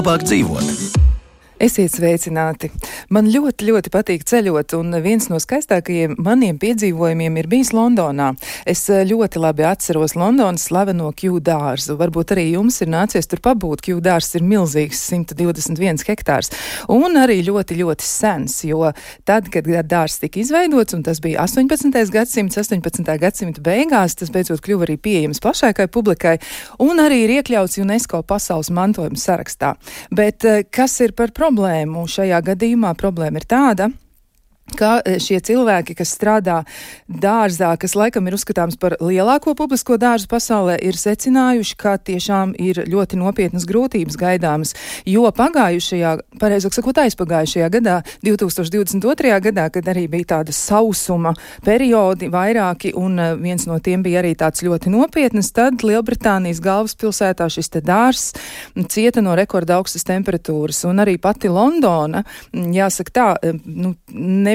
labāk dzīvot. Esiet sveicināti! Man ļoti, ļoti patīk ceļot, un viens no skaistākajiem maniem piedzīvojumiem ir bijis Londonā. Es ļoti labi atceros Londonas slaveno Kew dārzu. Varbūt arī jums ir nācies tur pabūt. Kew dārzs ir milzīgs, 121 hektārs, un arī ļoti, ļoti sens, jo tad, kad dārzs tika izveidots, un tas bija 18. gadsimts, 18. gadsimta beigās, tas beidzot kļuva arī pieejams plašākai publikai, un arī ir iekļauts UNESCO pasaules mantojuma sarakstā. Bet kas ir par problēmu šajā gadījumā? Problēma ir tāda, ka šie cilvēki, kas strādā dārzā, kas laikam ir uzskatāms par lielāko publisko dārzu pasaulē, ir secinājuši, ka tiešām ir ļoti nopietnas grūtības gaidāmas, jo pareizāk sakot, aizpagājušajā gadā, 2022. gadā, kad arī bija tāda sausuma periodi vairāki, un viens no tiem bija arī tāds ļoti nopietnas, tad Lielbritānijas galvaspilsētā šis te dārzs cieta no rekorda augstas temperatūras, un arī pati Londona, jāsaka tā,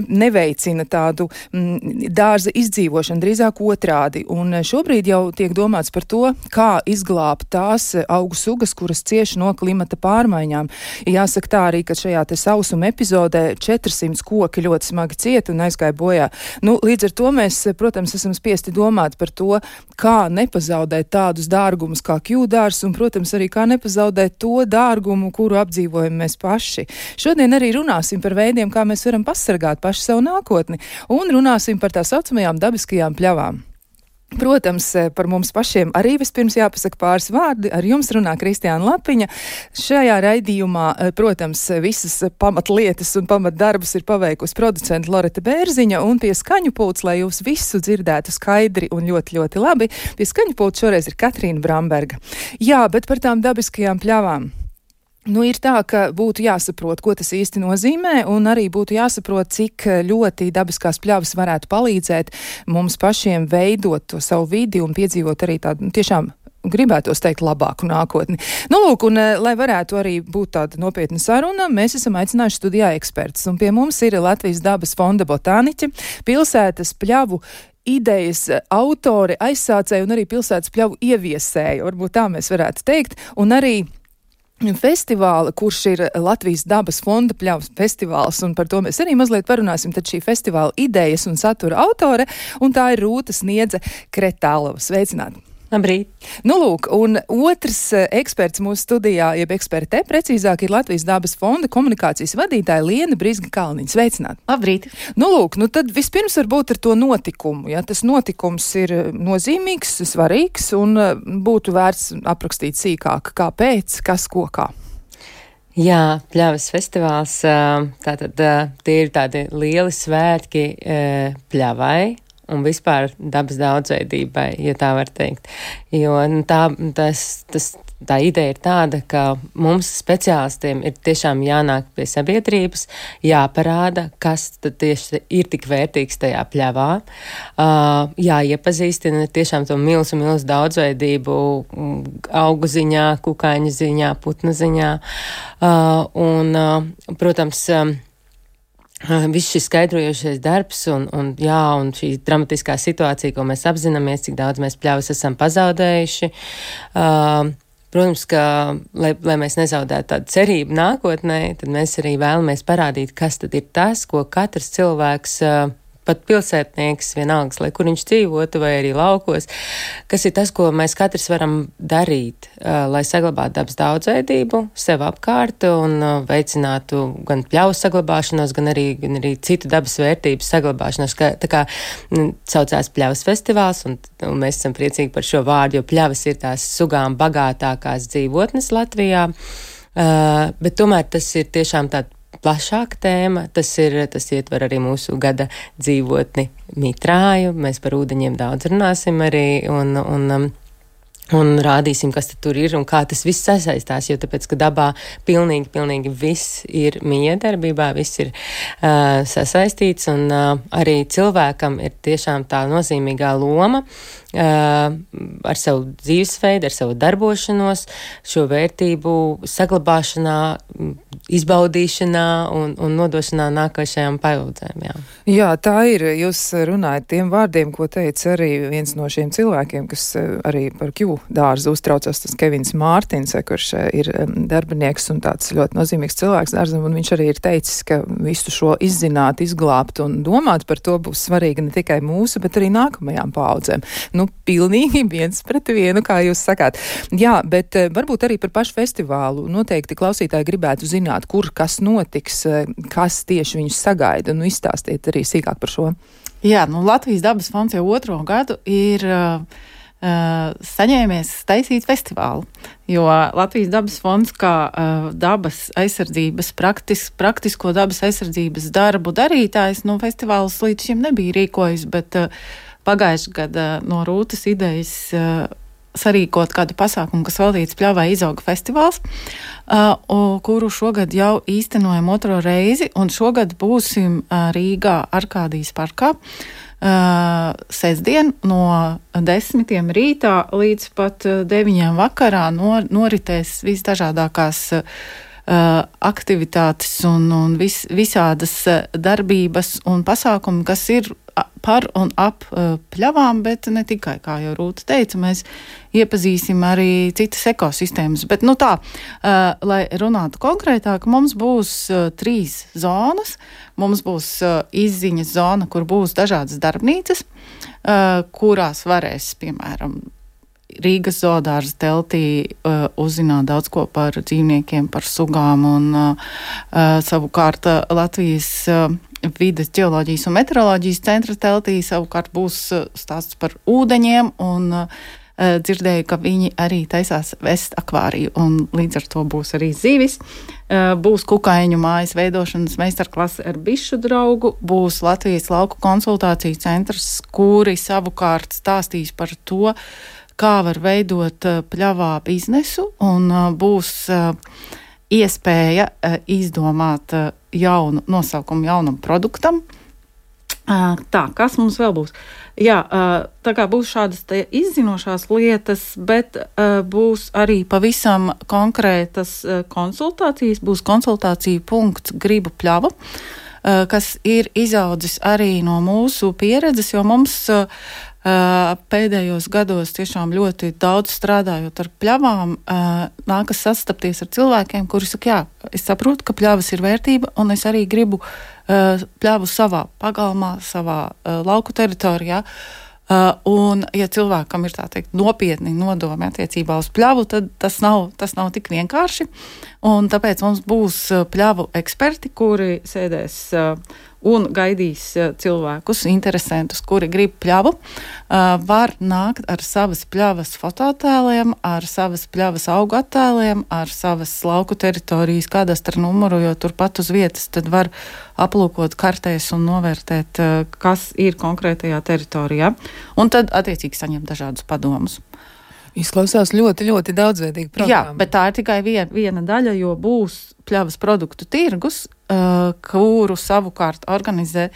neveicina tādu dārza izdzīvošanu, drīzāk otrādi. Un šobrīd jau tiek domāts par to, kā izglābt tās augu sugas, kuras cieši no klimata pārmaiņām. Jāsaka tā arī, ka šajā te sausuma epizodē 400 koki ļoti smagi cieta un aizgāja bojā. Līdz ar to mēs, protams, esam spiesti domāt par to, kā nepazaudēt tādus dārgumus kā Kew dārzs un, protams, arī kā nepazaudēt to dārgumu, kuru apdzīvojam mēs paši. Šodien arī runāsim par veidiem, kā mēs varam pasargāt paši savu nākotni, un runāsim par tā saucamajām dabiskajām pļavām. Protams, par mums pašiem arī vispirms jāpasaka pāris vārdi. Ar jums runā Kristiāna Lapiņa. Šajā raidījumā, protams, visas pamatlietas un pamatdarbus ir paveikusi producenta Loreta Bērziņa, un pie skaņu pults, lai jūs visu dzirdētu skaidri un ļoti, ļoti labi, pie skaņu pults šoreiz ir Katrīna Bramberga. Jā, bet par tām dabiskajām pļavām. Ir tā, ka būtu jāsaprot, ko tas īsti nozīmē, un arī būtu jāsaprot, cik ļoti dabiskās pļavas varētu palīdzēt mums pašiem veidot to savu vidi un piedzīvot arī tādu, tiešām gribētos teikt, labāku nākotni. Lūk, un lai varētu arī būt tāda nopietna saruna, mēs esam aicinājuši studijā ekspertus, un pie mums ir Latvijas dabas fonda botāniķe, pilsētas pļavu idejas autori, aizsācēji un arī pilsētas pļavu ieviesēji, varbūt tā mēs varētu teikt, un arī festivāla, kurš ir Latvijas dabas fonda pļavas festivāls, un par to mēs arī mazliet parunāsim, tad šī festivāla idejas un satura autore, un tā ir Rūta Sniedze Kretālova. Sveicināti! Labrīt! Lūk, un otrs eksperts mūsu studijā, jeb eksperte, precīzāk, ir Latvijas dabas fonda komunikācijas vadītāja Liena Brizga Kalniņa. Sveicināti! Labrīt! Lūk, tad vispirms varbūt ar to notikumu. Ja tas notikums ir nozīmīgs, svarīgs, un būtu vērts aprakstīt sīkāk, kāpēc, kas, ko, kā. Jā, pļavas festivāls, tātad tie ir tādi lieli svētki pļavai un vispār dabas daudzveidībai, ja tā var teikt. Jo tā ideja ir tāda, ka mums speciālistiem ir tiešām jānāk pie sabiedrības, jāparāda, kas tad tieši ir tik vērtīgs tajā pļavā, jāiepazīstina tiešām to milzu daudzveidību augu ziņā, kukaiņu ziņā, putnu ziņā, un, protams, viss šis skaidrojošais darbs un šī dramatiskā situācija, ko mēs apzināmies, cik daudz mēs pļavas esam pazaudējuši. Protams, ka, lai mēs nezaudētu tādu cerību nākotnē, tad mēs arī vēlamies parādīt, kas tad ir tas, ko katrs cilvēks, pat pilsētnieks, vienalga, lai kur viņš dzīvotu vai arī laukos, kas ir tas, ko mēs katrs varam darīt, lai saglabātu dabas daudzveidību sev apkārt un veicinātu gan pļavu saglabāšanos, gan arī citu dabas vērtību saglabāšanos. Tā kā saucās pļavas festivāls, un mēs esam priecīgi par šo vārdu, jo pļavas ir tās sugām bagātākās dzīvotnes Latvijā, bet tomēr tas ir tiešām tāda plašāka tēma, tas ietver arī mūsu gada dzīvotni mitrāju, mēs par ūdeņiem daudz runāsim arī un rādīsim, kas tur ir un kā tas viss sasaistās, jo tāpēc, ka dabā pilnīgi viss ir miedarbībā, viss ir sasaistīts, un arī cilvēkam ir tiešām tā nozīmīgā loma ar savu dzīvesveidu, ar savu darbošanos, šo vērtību saglabāšanā, izbaudīšanā un nodošanā nākošajām paudzēm. Jā, tā ir. Jūs runājat tiem vārdiem, ko teica arī viens no šiem cilvēkiem, kas arī par Kew dārzu uztraucās tas Kevins Mārtins, kurš ir darbinieks un tāds ļoti nozīmīgs cilvēks dārzam, un viņš arī ir teicis, ka visu šo izzināt, izglābt un domāt par to būs svarīgi ne tikai mūsu, bet arī nākamajām paaudzēm. Nu, pilnīgi 1:1, kā jūs sakāt. Jā, bet varbūt arī par pašu festivālu. Noteikti klausītāji gribētu zināt, kur kas notiks, kas tieši viņus sagaida. Nu, izstāstiet arī sīkāk par šo. Jā, Latvijas dabas fonds jau 2. gadu ir saņēmies taisīt festivālu, jo Latvijas dabas fonds kā dabas aizsardzības, praktisko dabas aizsardzības darbu darītājs, festivālus līdz šim nebija rīkojis, bet pagājušajā gadā no Rūtas idejas sarīkot kādu pasākumu, kas veltīts Pļavai izauga festivāls, kuru šogad jau īstenojam 2. reizi, un šogad būsim Rīgā Arkādijas parkā sestdien no 10 rītā līdz pat 9 vakarā noritēs visdažādākās aktivitātes un visādas darbības un pasākumi, kas ir par un ap pļavām, bet ne tikai, kā jau Rūta teica, mēs iepazīsim arī citas ekosistēmas. Bet, lai runātu konkrētāk, mums būs 3 zonas. Mums būs izziņas zona, kur būs dažādas darbnīcas, kurās varēs, piemēram, Rīgas zoodārza teltī uzzināt daudz ko par dzīvniekiem, par sugām un savukārt Latvijas vides ģeoloģijas un meteoroloģijas centra teltī savukārt būs stāsts par ūdeņiem un dzirdēju, ka viņi arī taisās vest akvāriju un līdz ar to būs arī zivis. Būs kukaiņu mājas veidošanas meistarklase ar bišu draugu, būs Latvijas lauku konsultāciju centrs, kuri savukārt stāstīs par to, kā var veidot pļavā biznesu un būs iespēja izdomāt jaunu nosaukumu jaunam produktam. Tā, kas mums vēl būs? Jā, tā kā būs šādas izzinošās lietas, bet būs arī pavisam konkrētas konsultācijas. Būs konsultāciju punkts Gribu pļavu, kas ir izaudzis arī no mūsu pieredzes, jo mums pēdējos gados tiešām ļoti daudz strādājot ar pļavām, nākas sastapties ar cilvēkiem, kuri saka, jā, es saprotu, ka pļavas ir vērtība, un es arī gribu pļavu savā pagalmā, savā lauku teritorijā. Un, ja cilvēkam ir tā teikt nopietni nodomi attiecībā uz pļavu, tad tas nav tik vienkārši. Un tāpēc mums būs pļavu eksperti, kuri sēdēs un gaidīs cilvēkus, interesantus, kuri grib pļavu, var nākt ar savas pļavas fototēliem, ar savas pļavas augu attēliem, ar savas lauku teritorijas kadastra numuru, jo turpat uz vietas tad var aplūkot kartēs un novērtēt, kas ir konkrētajā teritorijā, un tad attiecīgi saņemt dažādus padomus. Izklausās ļoti, ļoti daudzveidīgi programma. Jā, bet tā ir tikai viena daļa, jo būs pļavas produktu tirgus, kuru savukārt organizē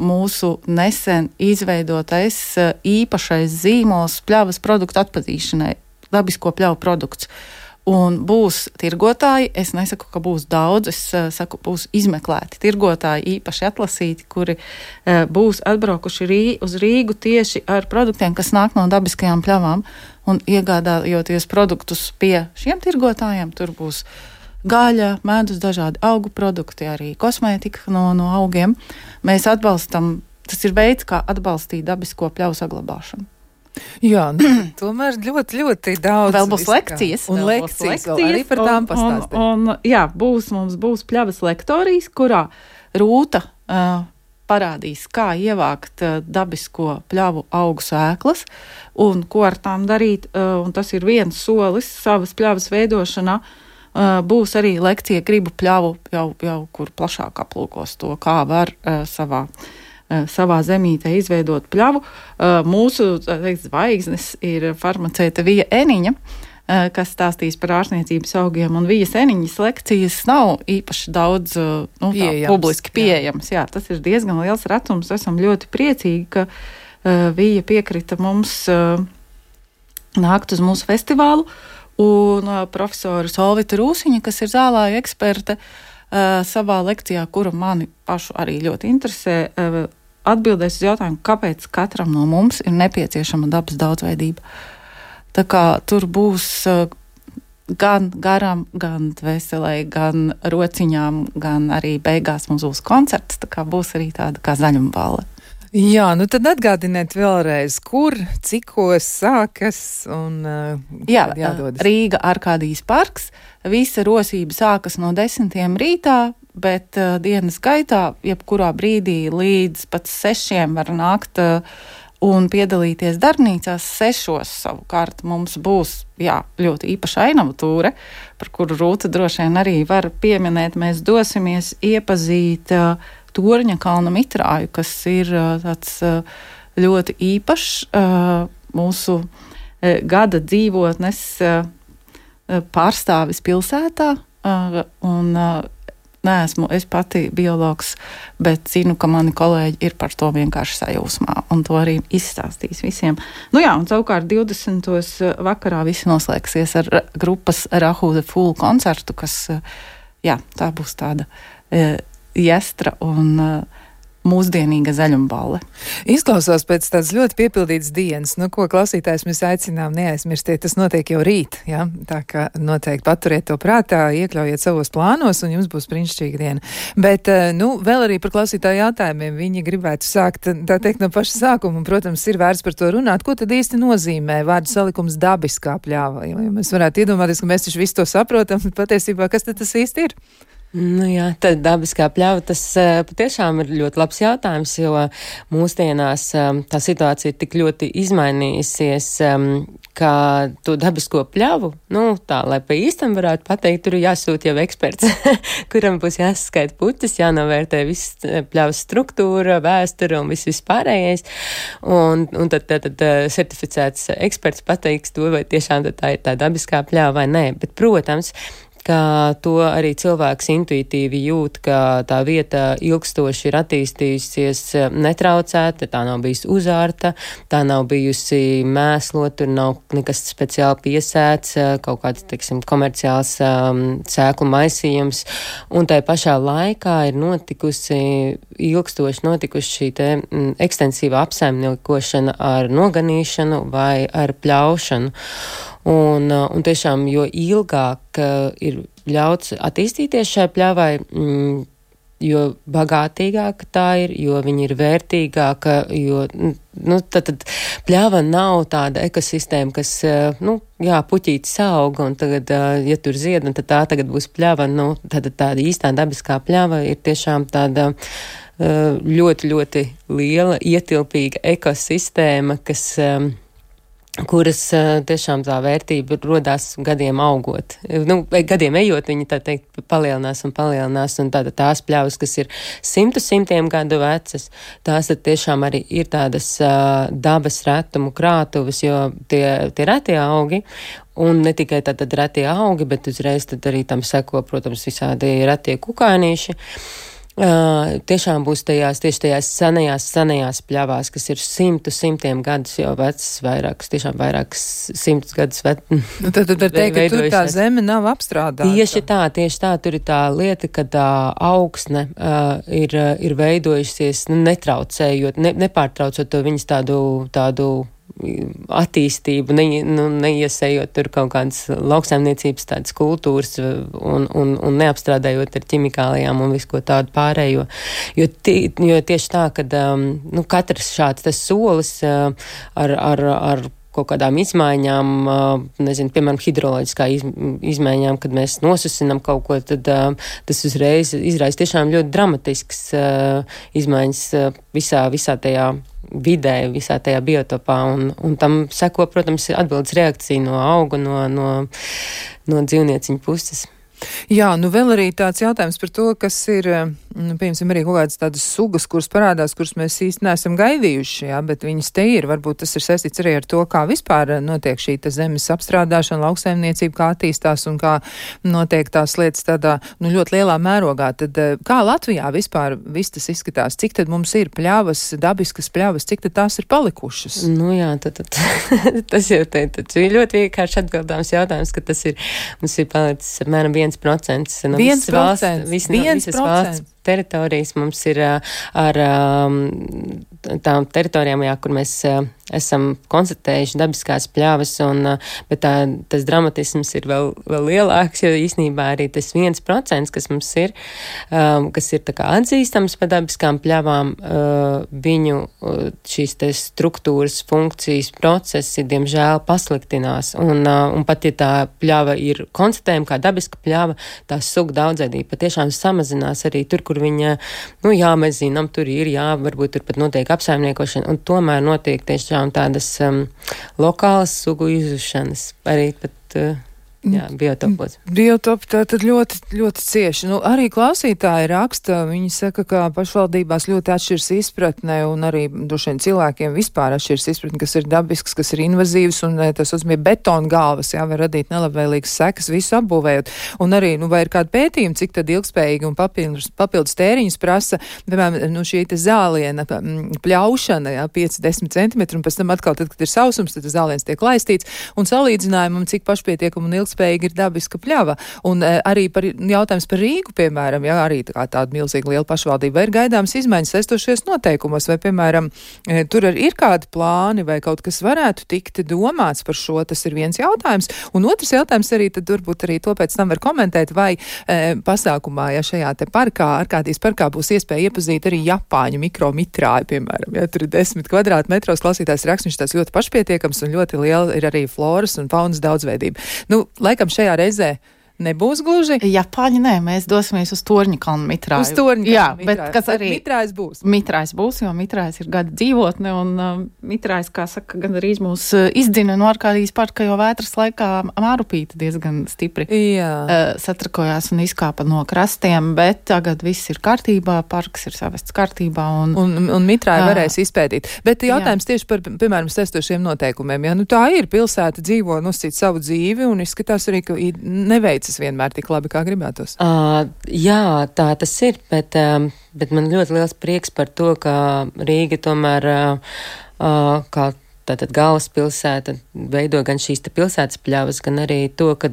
mūsu nesen izveidotais īpašais zīmols pļavas produktu atpazīšanai, dabisko pļavu produkts. Un būs tirgotāji, es nesaku, ka būs daudz, es saku, būs izmeklēti tirgotāji, īpaši atlasīti, kuri būs atbraukuši uz Rīgu tieši ar produktiem, kas nāk no dabiskajām pļavām, un iegādājoties produktus pie šiem tirgotājiem, tur būs gaļa, medus, dažādi augu produkti, arī kosmētika no augiem. Mēs atbalstam, tas ir veids, kā atbalstīt dabisko pļavu saglabāšanu. Jā, tomēr ļoti, ļoti daudz. Vēl būs lekcijas. Un lekcijas vēl arī par tām pastāstīt. Jā, mums būs pļavas lektorijas, kurā Rūta parādīs, kā ievākt dabisko pļavu augu sēklas un ko ar tām darīt. Un tas ir viens solis savas pļavas veidošanā. Būs arī lekcija Gribu pļavu, jau kur plašāk aplūkos to, kā var savā zemītē izveidot pļavu. Mūsu zvaigznes ir farmaceita Vija Eniņa, kas stāstīs par ārstniecības augiem, un Vijas Eniņas lekcijas nav īpaši daudz publiski pieejamas. Jā, tas ir diezgan liels retums. Esam ļoti priecīgi, ka Vija piekrita mums nākt uz mūsu festivālu, un profesora Solvita Rūsiņa, kas ir zālāju eksperte, savā lekcijā, kura mani pašu arī ļoti interesē, atbildēs uz jautājumu, kāpēc katram no mums ir nepieciešama dabas daudzveidība. Tā kā tur būs gan garam, gan dvēselē, gan rociņām, gan arī beigās mums būs koncerts, tā kā būs arī tāda kā zaļumballe. Jā, nu tad atgādiniet vēlreiz, kur, cikos sākas un jādodas. Rīga Arkādijas parks. Visa rosība sākas no 10 rītā, bet dienas gaitā, jebkurā brīdī līdz pat 6 var nākt un piedalīties darbnīcās. 6 savukārt mums būs ļoti īpaša ainava tūre, par kuru Rūta droši vien arī var pieminēt. Mēs dosimies iepazīt Torņa kalna mitrāju, kas ir tāds ļoti īpašs mūsu gada dzīvotnes pārstāvis pilsētā. Un neesmu es pati biologs, bet zinu, ka mani kolēģi ir par to vienkārši sajūsmā, un to arī izstāstīs visiem. Nu jā, un savukārt 20. vakarā visi noslēgsies ar grupas Rahu the Fool koncertu, kas, tā būs tāda jestra un mūsdienīga zaļumballe. Izklausās pēc tādas ļoti piepildītas dienas. Nu, ko klausītājs mēs aicinām neaizmirstiet, tas notiek jau rīt, ja? Tā kā noteikti paturiet to prātā, iekļaujiet savos plānos un jums būs brīnišķīga diena. Bet, vēl arī par klausītāju jautājumiem. Viņi gribētu sākt, tā teikt, no paša sākuma, un, protams, ir vērts par to runāt. Ko tad īsti nozīmē vārdu salikums dabiskā pļāva? Jo mēs varētu iedomāties, ka mēs taču visu to saprotam, patiesībā, kas tad tas īsti ir? Nu jā, tad dabiskā pļava, tas patiešām ir ļoti labs jautājums, jo mūsdienās tā situācija ir tik ļoti izmainījusies, ka to dabisko pļavu, lai pa īstam varētu pateikt, tur ir jāsūt jau eksperts, kuram būs jāsaskaita puķis, jānovērtē viss pļavas struktūra, vēsture un viss pārējais, un tad certificēts eksperts pateiks to, vai tiešām tā ir tā dabiskā pļava vai nē, bet, protams, ka to arī cilvēks intuitīvi jūt, ka tā vieta ilgstoši ir attīstījusies netraucēta, tā nav bijusi uzārta, tā nav bijusi mēslot, tur nav nekas speciāli piesēts, kaut kāds, komerciāls sēklu maisījums, un tai pašā laikā ir ilgstoši notikusi šī te ekstensīva apsaimniekošana ar noganīšanu vai ar pļaušanu. Un tiešām, jo ilgāk ir ļauts attīstīties šai pļavai, jo bagātīgāka tā ir, jo viņa ir vērtīgāka, jo, tad pļava nav tāda ekosistēma, kas, puķītis auga, un tagad, ja tur zied, un tad tā tagad būs pļava, tad tāda īstā dabiskā pļava ir tiešām tāda ļoti, ļoti liela, ietilpīga ekosistēma, kuras tiešām tā vērtība rodās gadiem augot. Gadiem ejot, viņi tā teikt palielinās, un tāda tās pļavas, kas ir simtiem gadu vecas, tās tad tiešām arī ir tādas dabas retumu krātuves, jo tie retie augi, un ne tikai tātad retie augi, bet uzreiz tad arī tam seko, protams, visādi retie kukānīši. Tiešām būs tieši tajās senajās pļavās, kas ir simtiem gadus jau vecas, vairākas simtus gadus vecas. Tad var teikt, ka tur tā zeme nav apstrādāta. Tieši tā, tur ir tā lieta, ka tā augsne ir veidojusies, netraucējot, nepārtraucot to viņas tādu attīstību, neiesējot tur kaut kādas lauksaimniecības tādas kultūras un neapstrādājot ar ķimikālijām un visu ko tādu pārējo. Jo tieši tā, kad katrs šāds tas solis ar kaut kādām izmaiņām, piemēram, hidroloģiskā izmaiņām, kad mēs nosusinam kaut ko, tad tas uzreiz izraisa tiešām ļoti dramatisks izmaiņas visā tajā vidē, visā tajā biotopā, un tam seko, protams, atbildes reakcija no auga, no dzīvnieciņu puses. Jā, vēl arī tāds jautājums par to, kas ir, piemēram, arī kaut kādas tādas sugas, kuras parādās, kuras mēs īsti neesam gaidījuši, bet viņas te ir. Varbūt tas ir saistīts arī ar to, kā vispār notiek šī zemes apstrādāšana, lauksaimniecība, kā attīstās un kā notiek tās lietas tādā, ļoti lielā mērogā. Tad kā Latvijā vispār viss tas izskatās? Cik tad mums ir pļavas, dabiskas pļavas, cik tad tās ir palikušas? Jā, tad tas jau ir ļoti vienkārši atbildāms jautājums, ka mums ir palicis apmēram 1% no visas valsts teritorijas mums ir ar tām teritorijām, jā, kur mēs esam konstatējuši dabiskās pļavas, bet tas dramatisms ir vēl lielāks, jo īstenībā arī tas 1%, kas mums ir, kas ir tā kā atzīstams par dabiskām pļavām, viņu šīs te struktūras, funkcijas, procesi, diemžēl, pasliktinās. Un pat, ja tā pļava ir konstatējama kā dabiska pļava, tā suga daudzveidība patiešām samazinās arī tur, kur viņa, mēs zinām, tur ir, varbūt tur pat notiek apsaimniekošana, un tomēr notiek tiešām tādas lokālas sugu izušanas, arī pat biotopos. Biotopi tātad ļoti, ļoti cieši. Arī klausītāji raksta, viņi saka, ka pašvaldībās ļoti atšķirs izpratne un arī droši vien cilvēkiem vispār atšķirs izpratne, kas ir dabisks, kas ir invazīvs un tas uzmie betona galvas, var radīt nelabvēlīgas sekas visu apbūvējot. Un arī, vai ir kādi pētījumi, cik tad ilgspējīgi un papildus tēriņus prasa, piemēram, šī te zāliena pļaušana, 5-10 centimetri, un pēc tam atkal, tad, kad ir sausums, tad zāliens tiek laistīts, un salīdzinājumam, cik pašpietiekam un ilgspējīgi ir dabiska pļava. Un arī par jautājums par Rīgu, piemēram, arī tāda milzīga liela pašvaldība, vai ir gaidāms izmaiņas saistošies noteikumos, vai, piemēram, tur ir kādi plāni, vai kaut kas varētu tikt domāts par šo, tas ir viens jautājums. Un otrs jautājums arī, tad varbūt arī to pēc tam var komentēt, vai pasākumā, šajā te parkā, Arkādijas parkā būs iespēja iepazīt arī Japāņu mikromitrāju, piemēram, tur ir 10 kvadrātmetros, klausītājs raksts, viņš tās ļoti pašpietiekams un ļoti liela ir arī floras un faunas daudzveidība. Laikam šajā reizē nebūs gluži. Japāņi nē, mēs dosimies uz Torņakalnu mitrāju. Uz Torņakalnu mitrāju. Bet kas arī mitrājs būs? Mitrājs būs, jo mitrājs ir gada dzīvotne, un mitrājs, kā saka, gan arī mūs izdzina no Arkādijas parka, jo vētras laikā Mārupīte diezgan stipri satrakojās un izkāpa no krastiem, bet tagad viss ir kārtībā, parks ir savests kārtībā. Un mitrāju varēs izpētīt. Bet jautājums tieši par, piemēram, saistošiem noteikumiem. Tā ir pilsēta dzīvo nosīt savu dzīvi un izskatās arī, ka neveicas vienmēr tik labi, kā gribētos. Jā, tā tas ir, bet man ļoti liels prieks par to, ka Rīga tomēr kā tātad galvaspilsēta veido gan šīs pilsētas pļavas, gan arī to, ka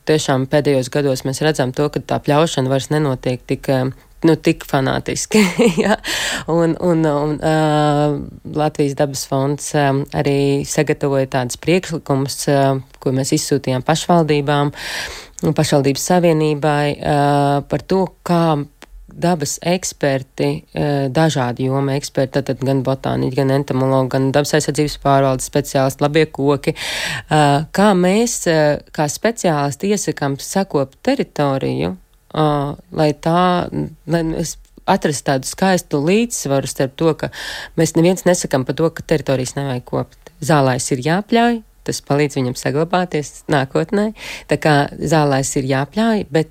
tiešām pēdējos gados mēs redzam to, ka tā pļaušana vairs nenotiek tik fanātiski. Ja? Un Latvijas dabas fonds arī sagatavoja tādas priekšlikumus, ko mēs izsūtījām pašvaldībām un pašvaldības savienībai par to, kā dabas eksperti, dažādi joma eksperti, tad gan botāniķi, gan entomologi, gan dabas aizsardzības pārvaldes speciālisti, labie koki, kā mēs, kā speciālisti iesakām sakopt teritoriju, lai mēs atrast tādu skaistu līdzsvaru starp to, ka mēs neviens nesakam par to, ka teritorijas nevajag kopt. Zālājs ir jāpļauj, tas palīdz viņam saglabāties nākotnē, tā kā zālājs ir jāpļauj, bet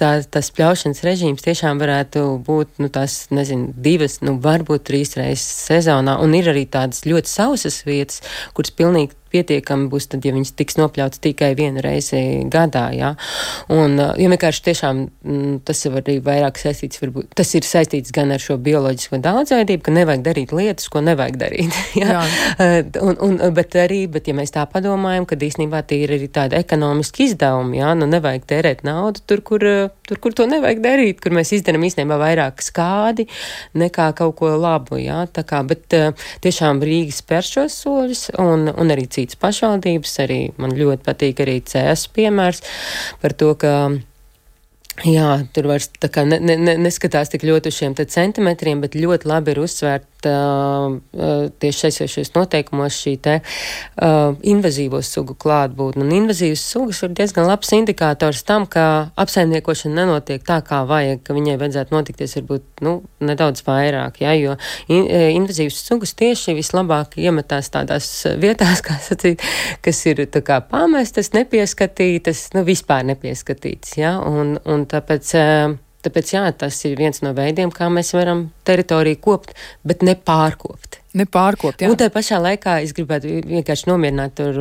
tas pļaušanas režīms tiešām varētu būt, 2, varbūt 3 reizes sezonā, un ir arī tādas ļoti sausas vietas, kuras pilnīgi pietiekami būs tad, ja viņas tiks nopļauts tikai 1 reizi gadā, jā. Un, vienkārši tiešām tas ir arī vairāk saistīts, varbūt, tas ir saistīts gan ar šo bioloģisko daudzveidību, ka nevajag darīt lietas, ko nevajag darīt, jā. Bet ja mēs tā padomājam, kad īstenībā tie ir arī tādi ekonomiski izdevumi, jā, nevajag tērēt naudu tur, kur to nevajag darīt, kur mēs izdarām īstenībā vairāk skādi nekā kaut ko labu, jā, tā kā, bet tiešām Rīga spēr šos soļus, un arī citas pašvaldības, arī man ļoti patīk arī CS piemērs par to, ka tur vairs tā kā neskatās tik ļoti uz šiem centimetriem, bet ļoti labi ir uzsvērt tieši šajos noteikumos šī invazīvo sugu klātbūtne. Un invazīvas sugas ir diezgan labs indikators tam, ka apsaimniekošana nenotiek tā, kā vajag, ka viņai vajadzētu notikties varbūt nedaudz vairāk, ja, jo invazīvas sugas tieši vislabāk iemetās tādās vietās, kā sacīt, kas ir tā kā pamestas, nepieskatītas, vispār nepieskatītas, ja, un tāpēc jā, tas ir viens no veidiem, kā mēs varam teritoriju kopt, bet nepārkopt. Nepārkopt, jā. Un tā pašā laikā es gribētu vienkārši nomierināt tur,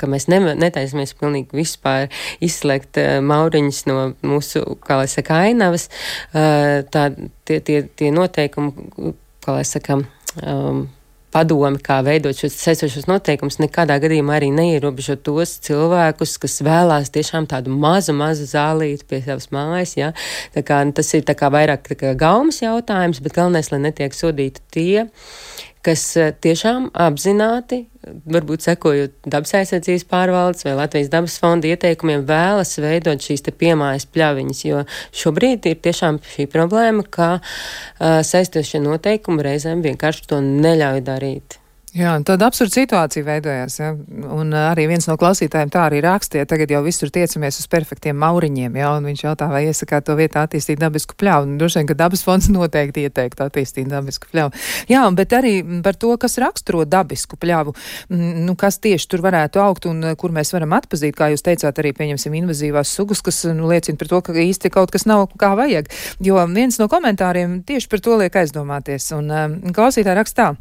ka mēs netaisamies pilnīgi vispār izslēgt mauriņus no mūsu, kā lai saka, ainavas. Tie noteikumi, kā lai saka, padomi, kā veidot šos saistošos noteikumus, nekādā gadījumā arī neierobežo tos cilvēkus, kas vēlās tiešām tādu mazu zālīti pie savas mājas, ja. Tā kā tas ir tā kā vairāk tā kā gaumas jautājums, bet galvenais, lai netiek sodīti tie, kas tiešām apzināti, varbūt sekojot dabas aizsardzības pārvaldes vai Latvijas dabas fonda ieteikumiem, vēlas veidot šīs te piemājas pļaviņas, jo šobrīd ir tiešām šī problēma, ka saistošie noteikumi reizēm vienkārši to neļauj darīt. Jā, tāda absurda situācija veidojās, ja? Un arī viens no klausītājiem tā arī rakstīja, tagad jau visur tiecamies uz perfektiem mauriņiem, ja? Un viņš jautā, vai iesakāt to vietā attīstīt dabisku pļauju. Un droši vien, ka dabas fonds noteikti ieteiktu attīstīt dabisku pļauju. Jā, bet arī par to, kas raksturo dabisku pļavu, nu, kas tieši tur varētu augt un kur mēs varam atpazīt, kā jūs teicāt, arī pieņemsim invazīvās sugas, kas liecina par to, ka īsti kaut kas nav kā vajag. Jo viens no komentāriem tieši par to liek aizdomāties. Un klausītāji rakstā.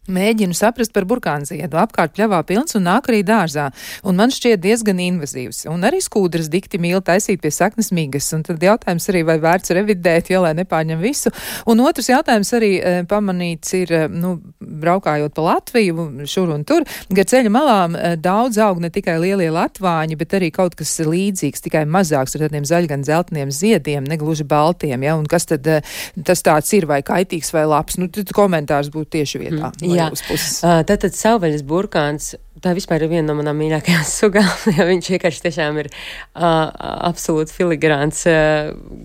Mēģinu saprast par burkānziedu. Apkārt pļavā pilns un nāk arī dārzā. Un man šķiet diezgan invazīvs. Un arī skūdras dikti mīl taisīt pie saknes migas. Un tad jautājums arī, vai vērts revidēt, ja lai nepārņem visu. Un otrs jautājums arī pamanīts ir, braukājot pa Latviju, šur un tur. Gar ceļa malām daudz aug ne tikai lielie latvāņi, bet arī kaut kas līdzīgs, tikai mazāks ar tādiem zaļgan zeltniem ziediem, negluži baltiem. Ja? Un kas tad tas tāds ir, vai kaitīgs vai labs? Nu, tad komentārs būtu tieši vietā. Jā, tātad savvaļas burkāns, tā vispār ir viena no manām mīļākajām sugām, jo viņš vienkārši tiešām ir absolūti filigrāns,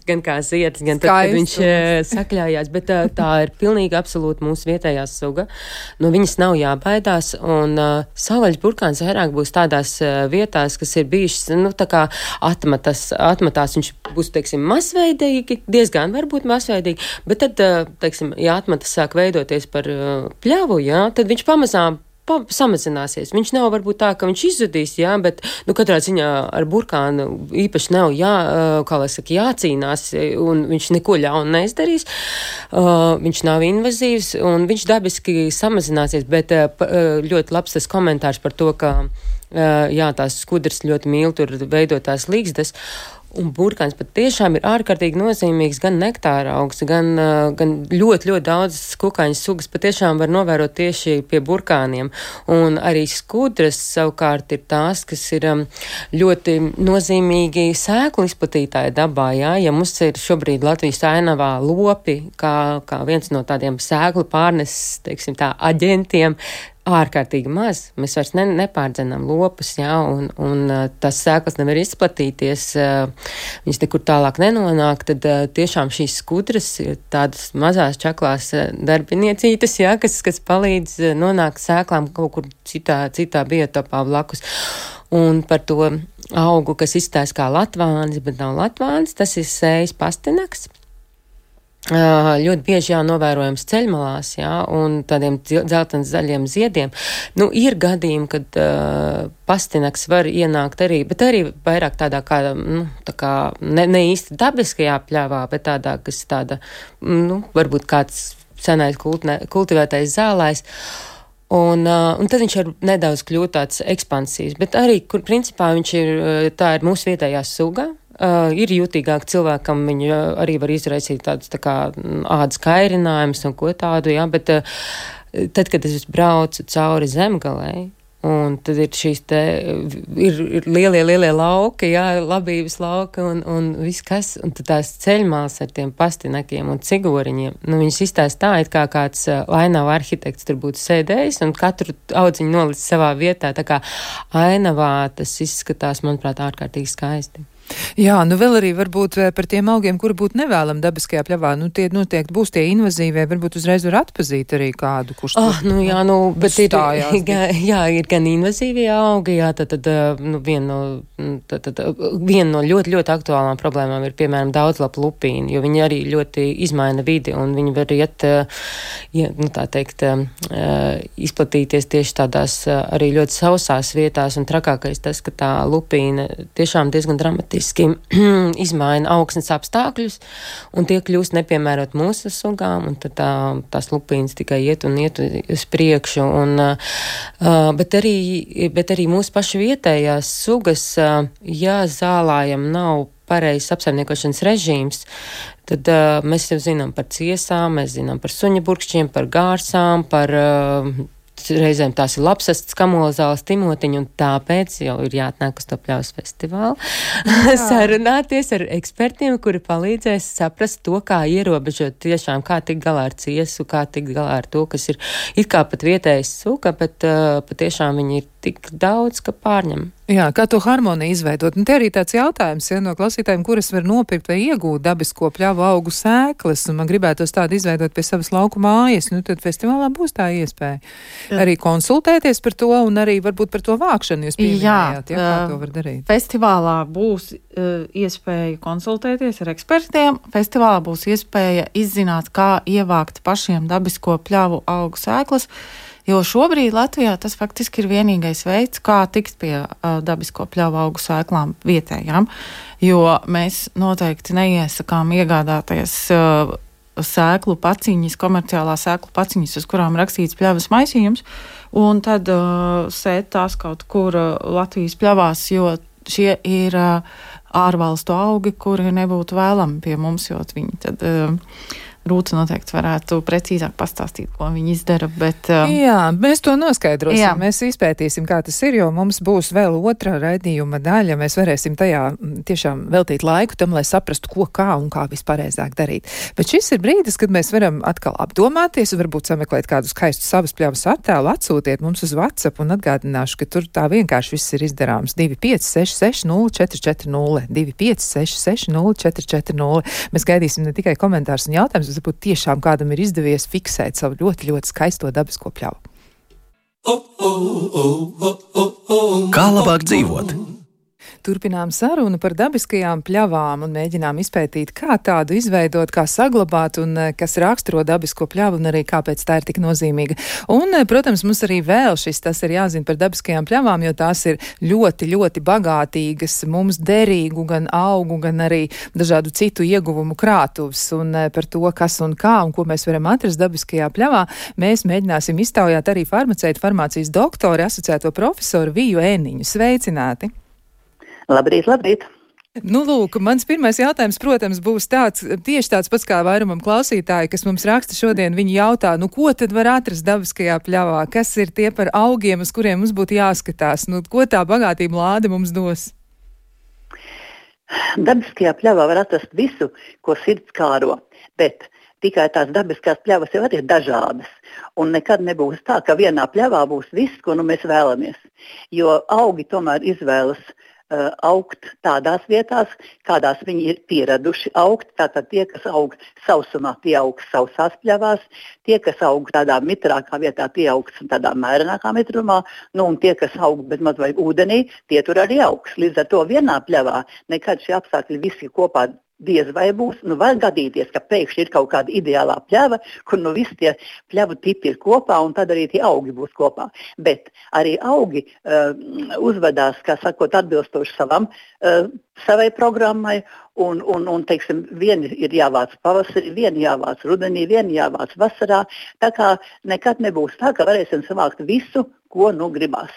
gan kā zieds, gan tad, kad viņš sakļājās, bet tā ir pilnīgi absolūti mūsu vietējā suga. No viņas nav jābaidās, un savvaļas burkāns vairāk būs tādās vietās, kas ir bijušas, tā kā atmatās, viņš būs, teiksim, masveidīgi, diezgan varbūt masveidīgi, bet tad, teiksim, ja atmatas sāk veidoties par pļavu, jā, tad viņš pamazām samazināsies. Viņš nav varbūt tā, ka viņš izzudīs, jā, bet, katrā ziņā ar burkānu īpaši nav jācīnās, un viņš neko ļaunu neizdarīs. Viņš nav invazīvs, un viņš dabiski samazināsies, bet ļoti labs tas komentārs par to, ka, tās skudras ļoti mīl tur veidotās līgstas. Un burkāns pat tiešām ir ārkārtīgi nozīmīgs gan nektāra augs, gan ļoti, ļoti daudz kukaiņu sugas patiešām var novērot tieši pie burkāniem. Un arī skudras savukārt ir tās, kas ir ļoti nozīmīgi sēklu izplatītāja dabā. Jā? Ja mums ir šobrīd Latvijas ainavā lopi, kā viens no tādiem sēklu pārneses, teiksim tā, aģentiem, ārkārtīgi maz. Mēs vairs nepārdzenām lopus, jā, un tās sēklas nevar izplatīties, viņas nekur tālāk nenonāk, tad tiešām šīs skudras ir tādas mazās čaklās darbiniecītes, jā, kas palīdz nonākt sēklām kaut kur citā biotopā blakus. Un par to augu, kas izstājas kā latvānis, bet nav latvānis, tas ir sējas pastinaks. Ļoti bieži novērojams ceļmalās, un tādiem dzeltens zaļiem ziediem. Ir gadījumi, kad pastinaks var ienākt arī, bet arī vairāk tādā kā, ne īsti dabiskajā pļavā, bet tādā, kas tāda, varbūt kāds senais kultivētais zālājs. Un tad viņš var nedaudz kļūt tāds ekspansīvs, bet arī, kur principā tā ir mūsu vietējā suga. Ir jutīgāk cilvēkam, viņi arī var izraisīt tādus tā kā ādas kairinājumus un ko tādu, jā, bet tad, kad es braucu cauri Zemgalei, un tad ir šīs te, ir lielie lauki, jā, labības lauki un viss kas, un tad tās ceļmāls ar tiem pastinakiem un cigoriņiem, viņas izstāst tā, it kā kāds ainava arhitekts tur būtu sēdējis un katru audziņu nolicis savā vietā, tā kā ainavā tas izskatās, manuprāt, ārkārtīgi skaisti. Jā, vēl arī varbūt par tiem augiem, kuri būtu nevēlami dabiskajā pļavā, tie noteikti būs tie invazīvie, varbūt uzreiz var atpazīt arī kādu, kurš bet ir gan invazīvie augi, jā, tad viena no ļoti, ļoti aktuālām problēmām ir, piemēram, daudzlapu lupīni, jo viņi arī ļoti izmaina vidi, un viņi var izplatīties tieši tādās arī ļoti sausās vietās, un trakākais tas, ka tā lupīna tiešām diezgan dramatiski izmaina augsnes apstākļus, un tie kļūst nepiemērot mūsu sugām, un tad tās lupīnas tikai iet uz priekšu. Bet arī mūsu pašu vietējās sugas, ja zālājam nav pareizs apsaimniekošanas režīms, tad mēs jau zinām par ciesām, mēs zinām par suņaburkšķiem, par gārsām, par reizēm tās ir lapsastas, kamolzāles, timotiņi, un tāpēc jau ir jāatnāk uz to pļavas festivālu. Sarunāties ar ekspertiem, kuri palīdzēs saprast to, kā ierobežot tiešām, kā tikt galā ar ciesu, kā tikt galā ar to, kas ir it kā pat vietējais suga, bet patiešām viņi ir tik daudz, ka pārņem. Jā, kā to harmoniju izveidot? Un te arī tāds jautājums, no klausītājiem, kuras var nopirkt vai iegūt dabisko pļavu augu sēklas, un man gribētos tādu izveidot pie savas lauku mājas, tad festivālā būs tā iespēja. Arī konsultēties par to, un arī varbūt par to vākšanu jūs pieminējāt, kā to var darīt. Festivālā būs iespēja konsultēties ar ekspertiem, festivālā būs iespēja izzināt, kā ievākt pašiem dabisko pļavu augu sēklas, jo šobrīd Latvijā tas faktiski ir vienīgais veids, kā tikt pie dabisko pļavu augu sēklām vietējām, jo mēs noteikti neiesakām iegādāties sēklu paciņas, komerciālā sēklu paciņas, uz kurām rakstīts pļavas maisījums, un tad sēt tās kaut kur Latvijas pļavās, jo šie ir ārvalstu augi, kuri nebūtu vēlami pie mums, jo viņi tad Rūta noteikti varētu precīzāk pastāstīt, ko viņi izdara, bet... Jā, mēs to noskaidrosim, jā. Mēs izpētīsim, kā tas ir, jo mums būs vēl otrā raidījuma daļa, mēs varēsim tajā tiešām veltīt laiku tam, lai saprastu, ko, kā un kā vispareizāk darīt. Bet šis ir brīdis, kad mēs varam atkal apdomāties, varbūt sameklēt kādu skaistu savas pļavas attēlu, atsūtiet mums uz WhatsApp un atgādināšu, ka tur tā vienkārši viss ir izdarāms. 2566 0440, 2566 0440. Mēs gaidīsim ne tikai komentārus un jautājumus, varbūt tiešām kādam ir izdevies fiksēt savu ļoti, ļoti skaisto dabisko pļavu. Kā labāk dzīvot? Turpinām sarunu par dabiskajām pļavām un mēģinām izpētīt, kā tādu izveidot, kā saglabāt un kas raksturo dabisko pļavu un arī kāpēc tā ir tik nozīmīga. Un, protams, mums arī vēl tas ir jāzina par dabiskajām pļavām, jo tās ir ļoti, ļoti bagātīgas, mums derīgu gan augu, gan arī dažādu citu ieguvumu krātuvs. Un par to, kas un kā un ko mēs varam atrast dabiskajā pļavā, mēs mēģināsim iztaujāt arī farmācijas doktori, asociēto profesoru Viju Ēniņu. Sveicināti! Labrīt, labrīt! Nu, lūk, mans pirmais jautājums, protams, būs tieši tāds pats kā vairumam klausītāji, kas mums raksta šodien. Viņi jautā, ko tad var atrast dabiskajā pļavā? Kas ir tie par augiem, uz kuriem mums būtu jāskatās? Ko tā bagātība lāde mums dos? Dabiskajā pļavā var atrast visu, ko sirds kāro, bet tikai tās dabiskās pļavas jau ir dažādas. Un nekad nebūs tā, ka vienā pļavā būs viss, ko mēs vēlamies. Jo augi tomēr izvēlas augt tādās vietās, kādās viņi ir pieraduši augt. Tātad tie, kas aug sausumā, tie augs sausās pļavās, tie, kas aug tādā mitrākā vietā, tie augs tādā mērenākā mitrumā, un tie, kas aug bet maz vai ūdenī, tie tur arī augs. Līdz ar to vienā pļavā nekad šie apstākļi visi kopā diez vai būs, var gadīties, ka pēkšņi ir kaut kāda ideālā pļava, kur visi tie pļavu tipi ir kopā, un tad arī tie augi būs kopā. Bet arī augi uzvedās, kā sakot, atbilstoši savai programmai, un teiksim, vieni ir jāvāc pavasarī, vieni jāvāc rudenī, vieni jāvāc vasarā, tā kā nekad nebūs tā, ka varēsim savākt visu, ko gribās.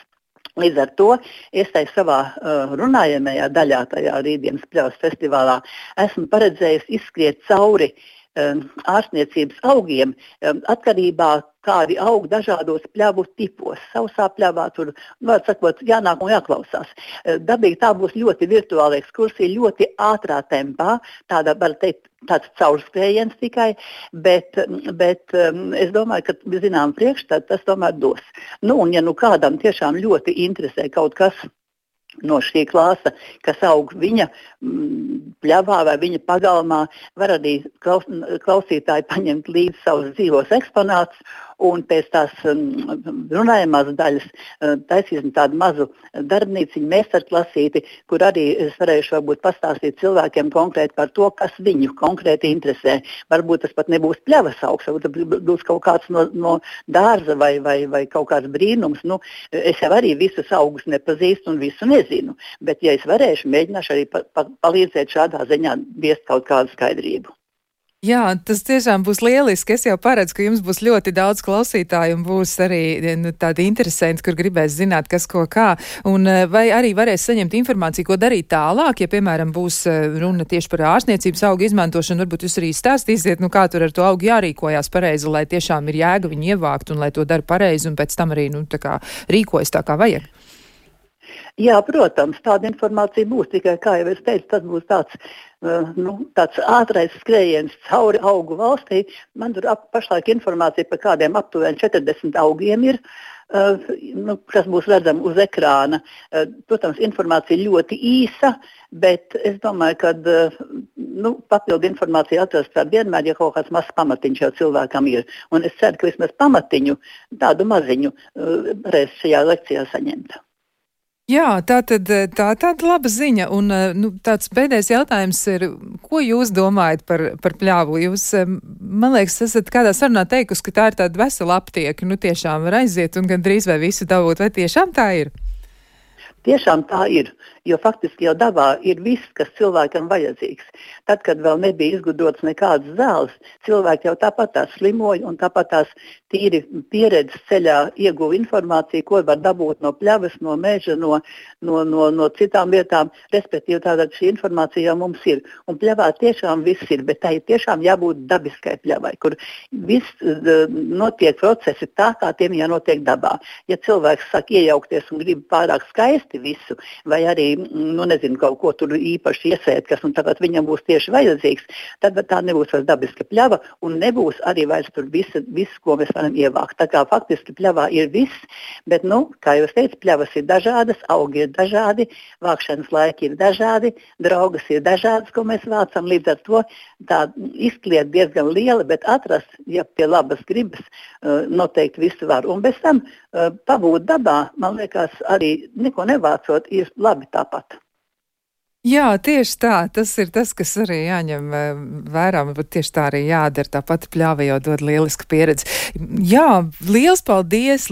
Līdz ar to es savā runājamajā daļā, tajā rītdienas pļavas festivālā, esmu paredzējis izskriet cauri ārstniecības augiem, atkarībā kādi aug dažādos pļavu tipos. Sausā pļavā tur, var sakot, jānāk un jāklausās. Dabīgi tā būs ļoti virtuāla ekskursija, ļoti ātrā tempā, tāda, var teikt, tāds caurskējiens tikai, bet es domāju, ka zinām priekšstat tas tomēr dos. Un ja kādam tiešām ļoti interesē kaut kas no šī klāsta, kas aug viņa pļavā vai viņa pagalmā, var arī klausītāji paņemt līdzi savus dzīvos eksponātus un pēc tās runājamās daļas taisīsim tādu mazu darbnīciņu, meistarklasīti, kur arī es varēšu varbūt pastāstīt cilvēkiem konkrēti par to, kas viņu konkrēti interesē. Varbūt tas pat nebūs pļavas augs, varbūt tas būs kaut kāds no dārza vai kaut kāds brīnums. Es jau arī visus augus nepazīstu un visu nezinu, bet ja es varēšu, mēģināšu arī palīdzēt šādā ziņā viest kaut kādu skaidrību. Jā, tas tiešām būs lieliski. Es jau paredzu, ka jums būs ļoti daudz klausītāju un būs arī tādi interesanti, kur gribēs zināt, kas ko kā. Un vai arī varēs saņemt informāciju, ko darīt tālāk, ja, piemēram, būs runa tieši par ārstniecības augu izmantošanu. Varbūt jūs arī stāstīsiet, kā tur ar to augu jārīkojās pareizi, lai tiešām ir jēga viņu ievākt un lai to dara pareizi un pēc tam arī, rīkojas tā, kā vajag. Jā, protams, tāda informācija būs, tikai, kā jau es teicu, tas būs tāds ātrais skrējiens cauri augu valstī. Man tur pašlaik informācija par kādiem aptuveni 40 augiem ir, kas būs redzama uz ekrāna. Protams, informācija ļoti īsa, bet es domāju, ka papildu informāciju atrast var vienmēr, ja kaut kāds mazs pamatiņš jau cilvēkam ir. Un es ceru, ka vismaz pamatiņu, tādu maziņu, varēs šajā lekcijā saņemt. Jā, tā tāda laba ziņa. Un tāds pēdējais jautājums ir, ko jūs domājat par pļāvu? Jūs, man liekas, esat kādā sarunā teikusi, ka tā ir tāda vesela aptieka. Tiešām var aiziet un gandrīz vai visu dabūt. Vai tiešām tā ir? Tiešām tā ir, jo faktiski jau dabā ir viss, kas cilvēkam vajadzīgs. Tad, kad vēl nebija izgudrots nekādas zāles, cilvēki jau tāpat tās slimoja un tāpat tās tīri pieredzes ceļā ieguva informāciju, ko var dabūt no pļavas, no meža, no citām vietām. Respektīvi, tātad šī informācija jau mums ir. Un pļavā tiešām viss ir, bet tā ir tiešām jābūt dabiskai pļavai, kur viss notiek procesi tā, kā tiem jānotiek dabā. Ja cilvēks sāk iejaukties un grib pārāk skaisti visu, vai arī, nezinu, kaut ko tur īpaši iesēt, kas un tagad viņam būs tieši vajadzīgs, tad tā nebūs vairs dabiska pļava un nebūs arī vairs tur viss, ko mēs varam ievākt. Tā kā faktiski pļavā ir viss, bet, kā jau es teicu, pļavas ir dažādas, augi ir dažādi, vākšanas laiki ir dažādi, draugas ir dažādas, ko mēs vācam, līdz ar to tā izkliet diezgan liela, bet atrast, ja pie labas gribas, noteikti visu var. Un bez tam pabūt dabā, man liekas, arī neko nevācot, ir labi tāpat. Jā, tieši tā. Tas ir tas, kas arī jāņem vērā, bet tieši tā arī jādara. Tāpat pļāva jau dod lielisku pieredzi. Jā, liels paldies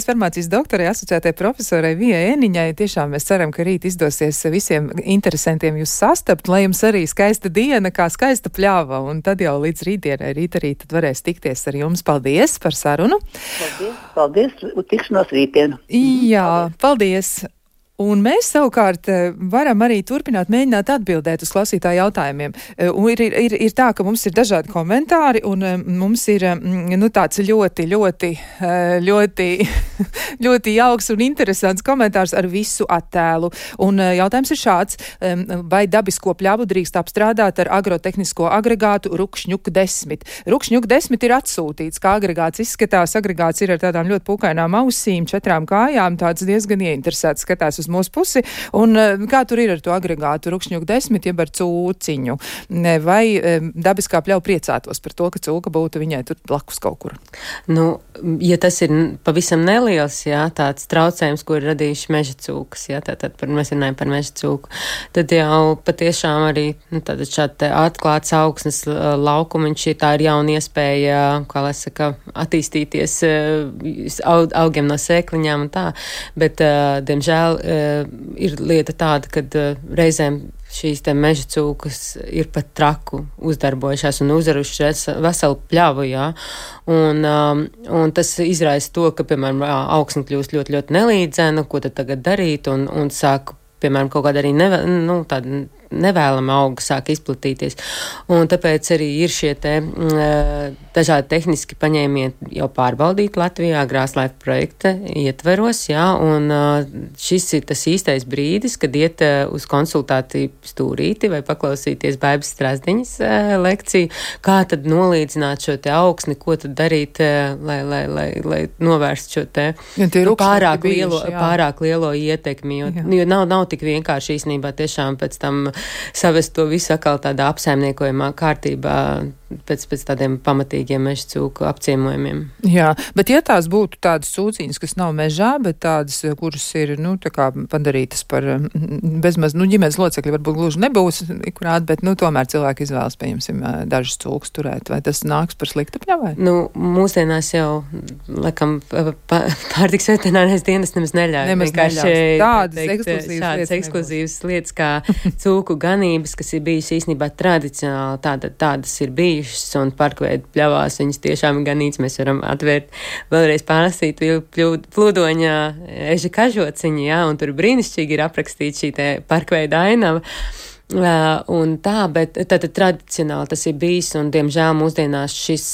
farmācijas doktorai, asociētai profesorai Vijai Eniņai. Tiešām mēs ceram, ka rīt izdosies visiem interesantiem jūs sastapt, lai jums arī skaista diena, kā skaista pļāva. Un tad jau līdz rītdienai, rīt arī tad varēs tikties ar jums. Paldies par sarunu. Paldies. Tikšanos rītdienu. Jā, paldies. Un mēs savukārt varam arī turpināt mēģināt atbildēt uz klausītāju jautājumiem. Un ir tā, ka mums ir dažādi komentāri, un mums ir tāds ļoti jauks un interesants komentārs ar visu attēlu. Un jautājums ir šāds, vai dabisko pļavu drīkst apstrādāt ar agrotehnisko agregātu Rukšņuk 10? Rukšņuk 10 ir atsūtīts, kā agregāts izskatās. Agregāts ir ar tādām ļoti pūkainām ausīm, 4 kājām, tāds diezgan ieinteresēts skatās uz mūsu pusi, un kā tur ir ar to agregātu Rukšņuk 10, jeb ar cūciņu? Vai dabiskā pļauja priecātos par to, ka cūka būtu viņai tur blakus kaut kur? Ja tas ir pavisam neliels, tāds traucējums, ko ir radījuši meža cūkas, tātad mēs runājam par meža cūku, tad jau patiešām arī šādi atklāts augsnes laukumiņš, tā ir jauna iespēja, kā lai saka, attīstīties augiem no sēkliņām un tā, bet, diemžēl, ir lieta tāda, ka reizēm šīs te meža cūkas ir pat traku uzdarbojušās un uzvarušas veselu pļavu, un tas izraisa to, ka, piemēram, augsne kļūst ļoti, ļoti nelīdzena, ko tad tagad darīt, un sāk, piemēram, kaut kāda arī tāda nevēlama auga sāk izplatīties. Un tāpēc arī ir šie te dažādi tehniski paņēmieni jau pārbaudīti Latvijā Grāslaifa projekta ietveros, un šis ir tas īstais brīdis, kad iet uz konsultāciju stūrīti vai paklausīties Baibas Strazdiņas lekciju, kā tad nolīdzināt šo te augsni, ko tad darīt, lai novērst šo te pārāk lielo ietekmi, jo nav tik vienkārši īstenībā tiešām pēc tam savest to visu atkal tādā apsaimniekojumā kārtībā pēc tādiem pamatīgiem meža cūku apciemojumiem. Jā, bet ja tās būtu tādas cūciņas, kas nav mežā, bet tādas, kuras ir, tā kā padarītas par bezmaz, ģimenes locekļi varbūt gluži nebūs ikurāt, bet, tomēr cilvēki izvēlas, pieņemsim, dažas cūkas turēt. Vai tas nāks par sliktu pļavai? Mūsdienās jau, laikam, pārtiks veterinārais dienas nemaz neļauj. Tādas ekskluzīvas lietas kā cūku ganības, kas ir bijusi īstenībā tradicionāli, tādas ir bijušas. bijušas, un parkveidu pļavās viņas tiešām ir ganīts. Mēs varam atvērt, vēlreiz pārlasīt plūdoņa eža kažociņu, jā, un tur brīnišķīgi ir aprakstīta šī te parkveida ainava. Un tā, bet tad tradicionāli tas ir bijis, un diemžēl mūsdienās šis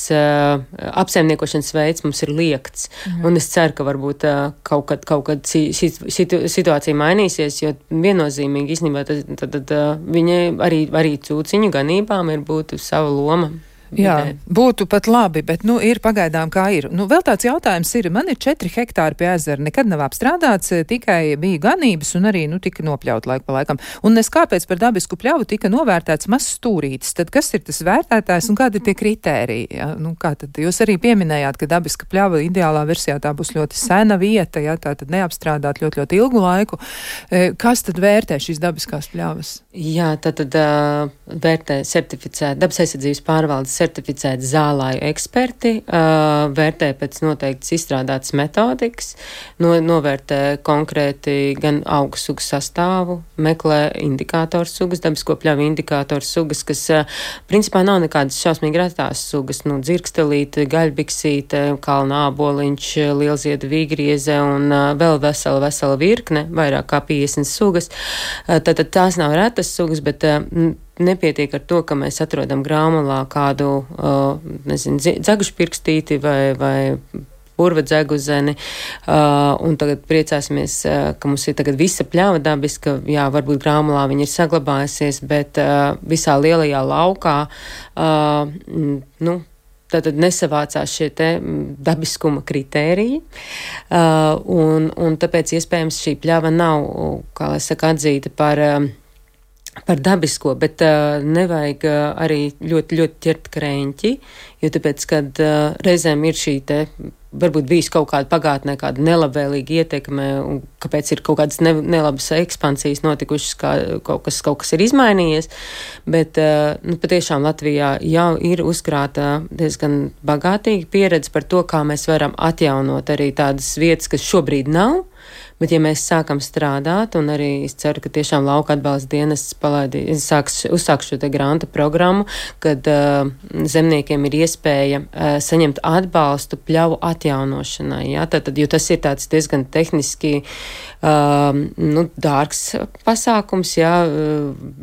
apsaimniekošanas veids mums ir liekts. Un es ceru, ka varbūt kaut kad šī situācija mainīsies, jo viennozīmīgi īstenībā tad viņai arī cūciņu ganībām ir būtu sava loma. Jā, būtu pat labi, bet, ir pagaidām kā ir. Vēl tāds jautājums ir, man ir 4 hektāri pie ezera, nekad nav apstrādāts, tikai bija ganības un arī, tika nopļaut laiku pa laikam. Un es kāpēc par dabisku pļavu tika novērtēts mazs stūrītis, tad kas ir tas vērtētājs un kādi ir tie kritēriji? Ja? Kā tad jūs arī pieminējāt, ka dabiska pļava ideālā versijā tā būs ļoti sena vieta, ja? Tā tad neapstrādāt ļoti, ļoti ilgu laiku. Kas tad vērtē šīs dabiskās pļavas? Jā, tad vērtē certificēt, dabas aizsardzības pārvaldes certificēti zālāju eksperti, vērtē pēc noteiktas izstrādātas metodikas, novērtē konkrēti gan augu sugu sastāvu, meklē indikātoru sugas, dabisko pļavu indikātoru sugas, kas principā nav nekādas šausmīgi retās sugas, dzirkstelīte, gaļbiksīte, kalna āboliņš, lielzieda vīgrieze un vēl vesela virkne, vairāk kā 50 sugas. Tātad tās nav retas sugas, bet nepietiek ar to, ka mēs atrodam grāmatā kādu, dzegušpirkstīti vai purva dzeguzeni, un tagad priecāsimies, ka mums ir tagad visa pļava dabiska, jā, varbūt grāmatā viņa ir saglabājusies, bet visā lielajā laukā, tātad nesavācās šie te dabiskuma kritēriji, un tāpēc iespējams šī pļava nav, kā lai saka, atzīta par dabisko, bet nevajag arī ļoti, ļoti ķert kreņķi, jo tāpēc, kad reizēm ir šī te, varbūt bijis kaut kāda pagātnē, kāda nelabvēlīga ietekme, un kāpēc ir kaut kādas nelabas ekspansijas notikušas, kaut kas ir izmainījies, bet patiešām Latvijā jau ir uzkrāta diezgan bagātīga pieredze par to, kā mēs varam atjaunot arī tādas vietas, kas šobrīd nav. Bet, ja mēs sākam strādāt, un arī es ceru, ka tiešām lauka atbalsta dienests uzsāks šo te granta programmu, kad zemniekiem ir iespēja saņemt atbalstu pļavu atjaunošanai. Ja? Tātad, jo tas ir tāds diezgan tehniski dārgs pasākums, ja?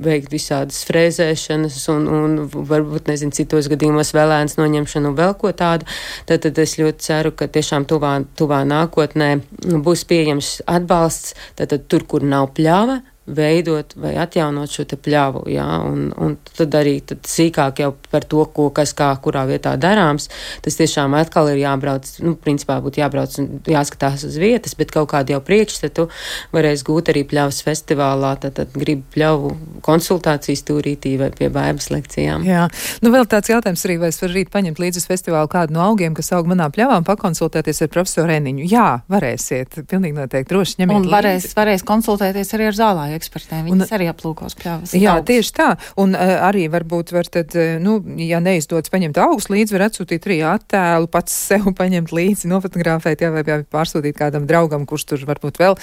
Veikt visādas frēzēšanas un varbūt, citos gadījumos vēlēnas noņemšanu un vēl ko tādu. Tātad es ļoti ceru, ka tiešām tuvā nākotnē būs pieejams atbalsts, tātad tur, kur nav pļava, veidot vai atjaunot šo te pļavu, jā, un tad arī sīkāk jau par to, ko, kas kā, kurā vietā darāms, tas tiešām atkal ir jābrauc, principā būtu jābrauc un jāskatās uz vietas, bet kaut kādu jau priekšstatu varēs gūt arī pļavas festivālā, tad gribu pļavu konsultācijas tūrītī vai pie baigas lekcijām. Jā, vēl tāds jautājums arī, vai es varu rīt paņemt līdzi uz festivālu kādu no augiem, kas aug manā pļavām, pakonsultēties ar profesoru Eniņu. Jā, varēsiet, pilnīgi noteikti, droši ņemiet līdzi. Un varēs konsultēties arī ar zālāju ekspertiem. Viņas arī aplūkos pļavas. Jā, tieši tā. Un arī varbūt var tad, ja neizdodas paņemt augus līdzi, var atsūtīt arī attēlu, pats sev paņemt līdzi, nofotografēt, jā, vai pārsūtīt kādam draugam, kurš tur varbūt vēl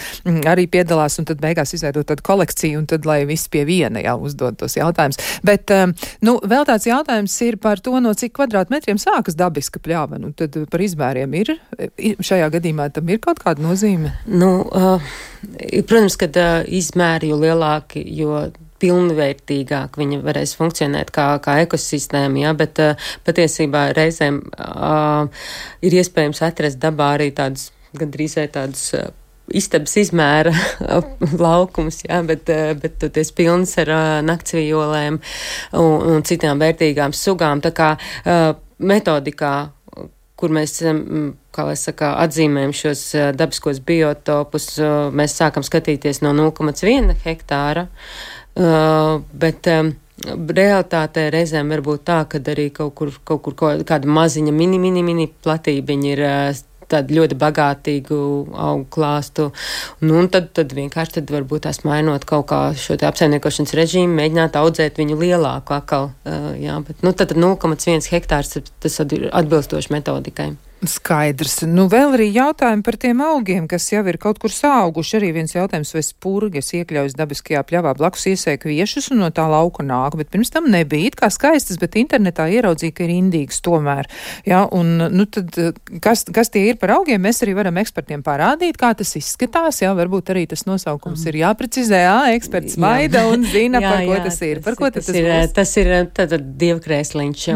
arī piedalās, un tad beigās izveidot tādu kolekciju, un tad, lai viss pie viena jau uzdod tos jautājumus. Bet, vēl tāds jautājums ir par to, no cik kvadrātmetriem sākas dabiska pļava. Tad par izmēriem ir, šajā gadījumā tam ir kaut kāda nozīme? Protams, kad izmēri jo lielāki, jo pilnvērtīgāk viņa varēs funkcionēt kā ekosistēma, ja, bet patiesībā reizēm ir iespējams atrast dabā arī tādus, gandrīz tādus istabas izmēra laukums, ja, bet tas pilns ar naktsvijolēm un citām vērtīgām sugām, tā kā metodikā, kur mēs, kā lai saka, atzīmējam šos dabiskos biotopus, mēs sākam skatīties no 0,1 hektāra, bet realitātē reizēm var būt tā, ka arī kaut kur kāda maziņa mini platībiņa ir tādu ļoti bagātīgu augu klāstu. Un tad vienkārši varbūt tās mainot kaut kā šo te apsaimniekošanas režīmu, mēģināt audzēt viņu lielāku atkal. Jā, bet tad 0,1 hektārs tas ir atbilstoši metodikai. Skaidrs. Nu, vēl arī jautājumi par tiem augiem, kas jau ir kaut kur sauguši. Arī viens jautājums, vai spurgas iekļaujas dabiskajā pļavā blakus iesēja kviešus un no tā lauka nāk, bet pirms tam nebija it kā skaistas, bet internetā ieraudzīja, ka ir indīgs tomēr. Jā, un, nu, tad, kas tie ir par augiem, mēs arī varam ekspertiem parādīt, kā tas izskatās, jā, varbūt arī tas nosaukums ir jāprecizē, eksperts maida un zina, par ko tas ir. Par ko tas ir? Tas ir tātad dievkrēsliņš.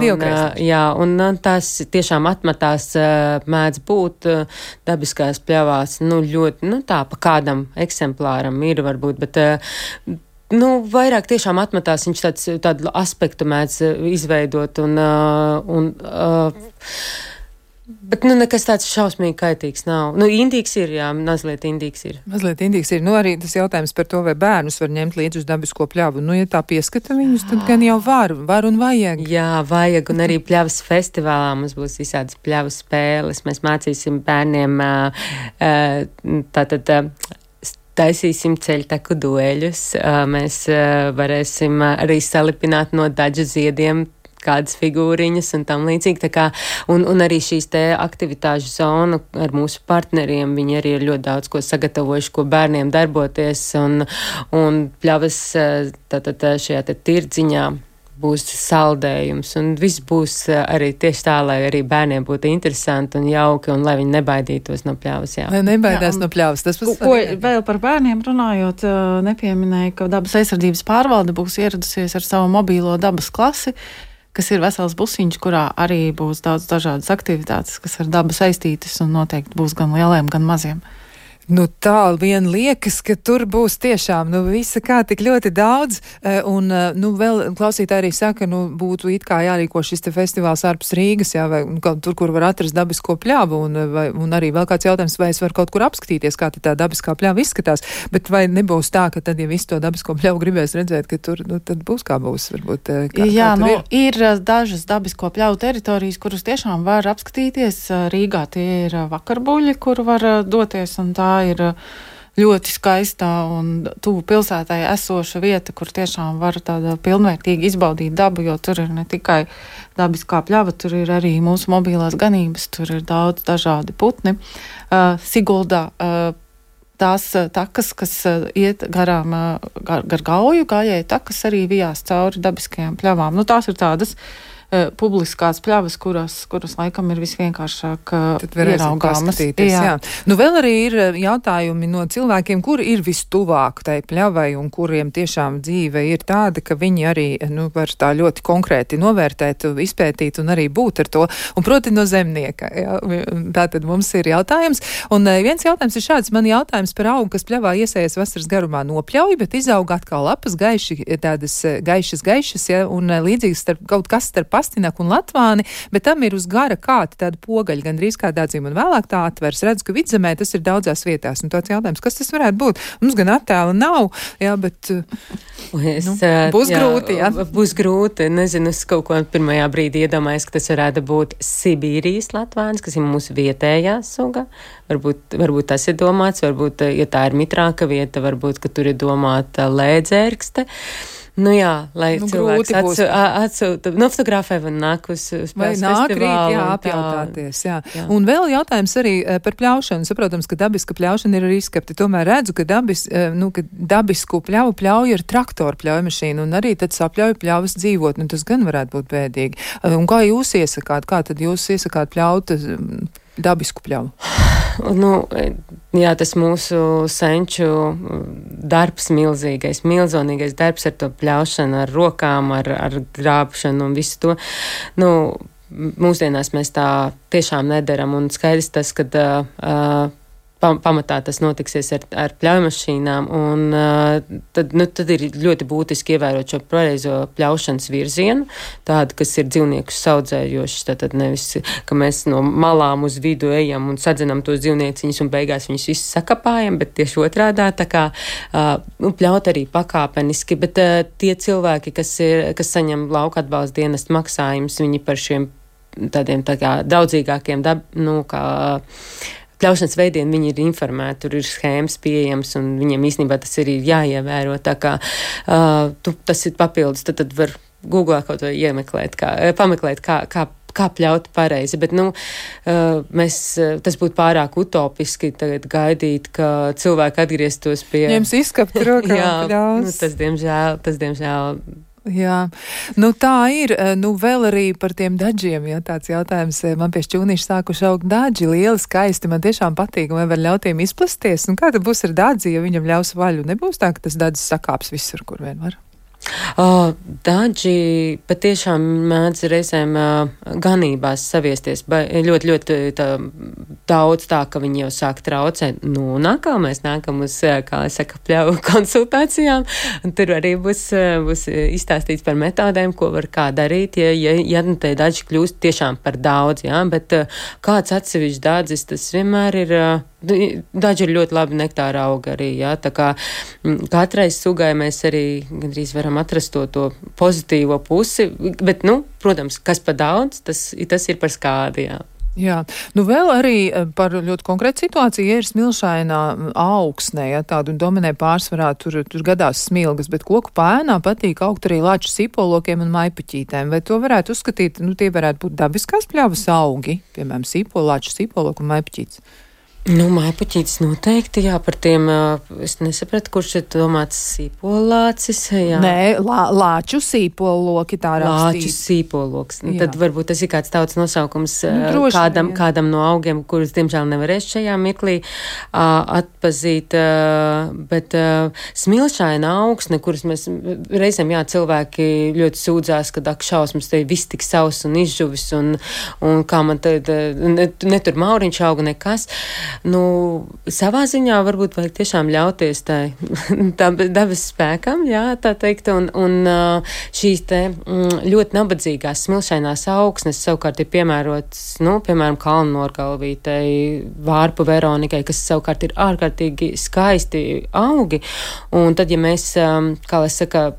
Jā, un tas tiešām atmatās mēdz būt dabiskās pļavās, ļoti, tā pa kādam eksemplāram ir varbūt, bet, vairāk tiešām atmatās viņš tādu aspektu mēdz izveidot bet, nekas tāds šausmīgi kaitīgs nav. Indīgs ir, jā, mazliet indīgs ir. Mazliet indīgs ir. Arī tas jautājums par to, vai bērnus var ņemt līdz uz dabisko pļavu. Ja tā pieskata viņus, tad gan jau var un vajag. Jā, vajag, un arī pļavas festivālā mums būs visādas pļavu spēles. Mēs mācīsim bērniem taisīsim ceļtaku dueļus. Mēs varēsim arī salipināt no daļu ziediem kādas figūriņas un tam līdzīgi. Tā kā, un arī šīs te aktivitāšu zona ar mūsu partneriem, viņi arī ir ļoti daudz ko sagatavojuši, ko bērniem darboties, un pļavas šajā te tirdziņā būs saldējums, un viss būs arī tieši tā, lai arī bērniem būtu interesanti un jauki, un lai viņi nebaidītos no pļavas. Jā. Lai nebaidās no pļavas. Tas ko vēl par bērniem runājot, nepieminēja, ka dabas aizsardzības pārvalde būs ieradusies ar savu mobīlo dabas klasi, kas ir vesels busiņš, kurā arī būs daudz dažādas aktivitātes, kas ar dabu saistītas un noteikti būs gan lieliem, gan maziem. Tā vien liekas, ka tur būs tiešām, visa kā tik ļoti daudz, un, vēl klausītāji arī saka, būtu it kā jārīko šis te festivāls ārpus Rīgas, jā, vai tur, kur var atrast dabisko pļavu, un arī vēl kāds jautājums, vai es varu kaut kur apskatīties, kā tā dabiskā pļava izskatās, bet vai nebūs tā, ka tad, ja visu to dabisko pļavu gribēs redzēt, ka tur, tad būs kā būs, varbūt, jā, ir dažas dabisko pļavu teritorijas, kuras tiešām var apskatīties. Rīgā tie ir vakarbuļi, kur var doties, un tā ir ļoti skaistā un tuvu pilsētai esoša vieta, kur tiešām var tāda pilnvērtīgi izbaudīt dabu, jo tur ir ne tikai dabiskā pļava, tur ir arī mūsu mobilās ganības, tur ir daudz dažādi putni. Siguldā tās takas, kas iet garām gar Gauju, gājēju takas arī vijās cauri dabiskajām pļavām. Tās ir tādas publiskās pļavas, kuras laikam ir visvienkāršāk ieraugāmas. Jā. Vēl arī ir jautājumi no cilvēkiem, kuri ir vistuvāk tai pļavai un kuriem tiešām dzīve ir tāda, ka viņi arī var tā ļoti konkrēti novērtēt, izpētīt un arī būt ar to. Un proti no zemnieka. Jā. Tātad mums ir jautājums. Un viens jautājums ir šāds. Man jautājums par augu, kas pļavā iesējas vasaras garumā nopļauj, bet izauga atkal lapas tādas gaišas, ja, un līdzīgi kaut kas starp pastinaku un latvāni, bet tam ir uz gara kāta tāda pogaļa, gandrīz kā dādzim, un vēlāk tā atvers. Redzu, ka vidzemē tas ir daudzās vietās. Un tāds jautājums, kas tas varētu būt? Mums gan attēla nav, jā, bet būs grūti, jā. Būs grūti. Nezinu, es kaut ko pirmajā brīdī iedomājos, ka tas varētu būt Sibīrijas latvānis, kas ir mūsu vietējā suga. Varbūt tas ir domāts, varbūt, ja tā ir mitrāka vieta, varbūt, ka tur ir domāta lēdzērkste. Jā, lai cilvēks atsūta, fotografē vai nāk uz spēles festivālu. Jā, apjautāties, jā. Un vēl jautājums arī par pļaušanu. Saprotams, ka dabiska pļaušana ir arī izskapti. Tomēr redzu, ka dabisku pļavu pļauj ar traktoru pļaujmašīnu un arī tad sapļauj pļavas dzīvot. Tas gan varētu būt bēdīgi. Un kā jūs iesakāt? Kā tad jūs iesakāt pļaut dabisku pļavu? Jā, tas mūsu senču darbs milzonīgais darbs ar to pļaušanu, ar rokām, ar grābšanu un visu to. Mūsdienās mēs tā tiešām nedaram, un skaidrs tas, kad pamatā tas notiksies ar pļaujmašīnām, un tad ir ļoti būtiski ievērot šo pareizo pļaušanas virzienu, tādu, kas ir dzīvniekus saudzējošs, tad nevis, ka mēs no malām uz vidu ejam un sadzenam tos dzīvnieciņus un beigās viņus visus sakapājam, bet tieši otrādā, tā kā pļaut arī pakāpeniski, bet tie cilvēki, kas saņem lauka atbalsta dienestu maksājumus, viņi par šiem tādiem tā kā draudzīgākiem pļaušanas veidiem viņi ir informēti, tur ir schēmas pieejams, un viņiem īstenībā tas arī ir jāievēro. Tā kā tas ir papildus, tad var Googlā kaut vai pameklēt, kā kā pļaut pareizi, bet, tas būtu pārāk utopiski tagad gaidīt, ka cilvēki atgrieztos pie... Ņems izskapt rokā pļaus. Tas diemžēl... Jā, tā ir. Vēl arī par tiem daģiem, ja tāds jautājums. Man pie šķūnīša sākuši augt daģi, lieli, skaisti, man tiešām patīk, vai var ļaut tiem izplasties. Kā tad būs ar dadzi, ja viņam ļaus vaļu? Nebūs tā, ka tas dadzis sakāps visur, kur vien var? Daži patiešām mēdz reizēm ganībās saviesties, ļoti, ļoti daudz tā, ka viņi jau sāk traucēt. Mēs nākam uz, pļauju konsultācijām, un tur arī būs izstāstīts par metodēm, ko var kā darīt, ja te daži kļūst tiešām par daudz, bet kāds atsevišķs dādzis, tas vienmēr ir... Daži ir ļoti labi nektāra auga arī, tā kā katrai sugai mēs arī gandrīz varam atrast to pozitīvo pusi, bet, protams, kas pa daudz, tas ir par skādi, Jā, vēl arī par ļoti konkrētu situāciju, ja ir smilšainā augsnē, tādu dominē pārsvarā, tur gadās smilgas, bet koku pēnā patīk augt arī lāču sīpolokiem un maipuķītēm. Vai to varētu uzskatīt, tie varētu būt dabiskās pļavas augi, piemēram, lāču sīpoloku un maipuķītes? Maipuķītis noteikti, par tiem, es nesapratu, kurš ir domāts sīpolācis, Nē, lāču sīpoloki tā rakstīt. Lāču sīpoloks. Tad varbūt tas ir kāds tautas nosaukums kādam no augiem, kurus, diemžēl, nevarēs šajā mirklī atpazīt, bet smilšaina augsne, kuras mēs reizēm, cilvēki ļoti sūdzās, kad šausmas te viss tik savs un izžuvis un kā man tad, netur mauriņš auga nekas. Savā ziņā varbūt vajag tiešām ļauties tam dabas spēkam, tā teikt, un šīs te ļoti nabadzīgās smilšainās augsnes savukārt ir piemērotas, piemēram, kalnnorgalvītei, vārpu veronikai, kas savukārt ir ārkārtīgi skaisti augi, un tad, ja mēs,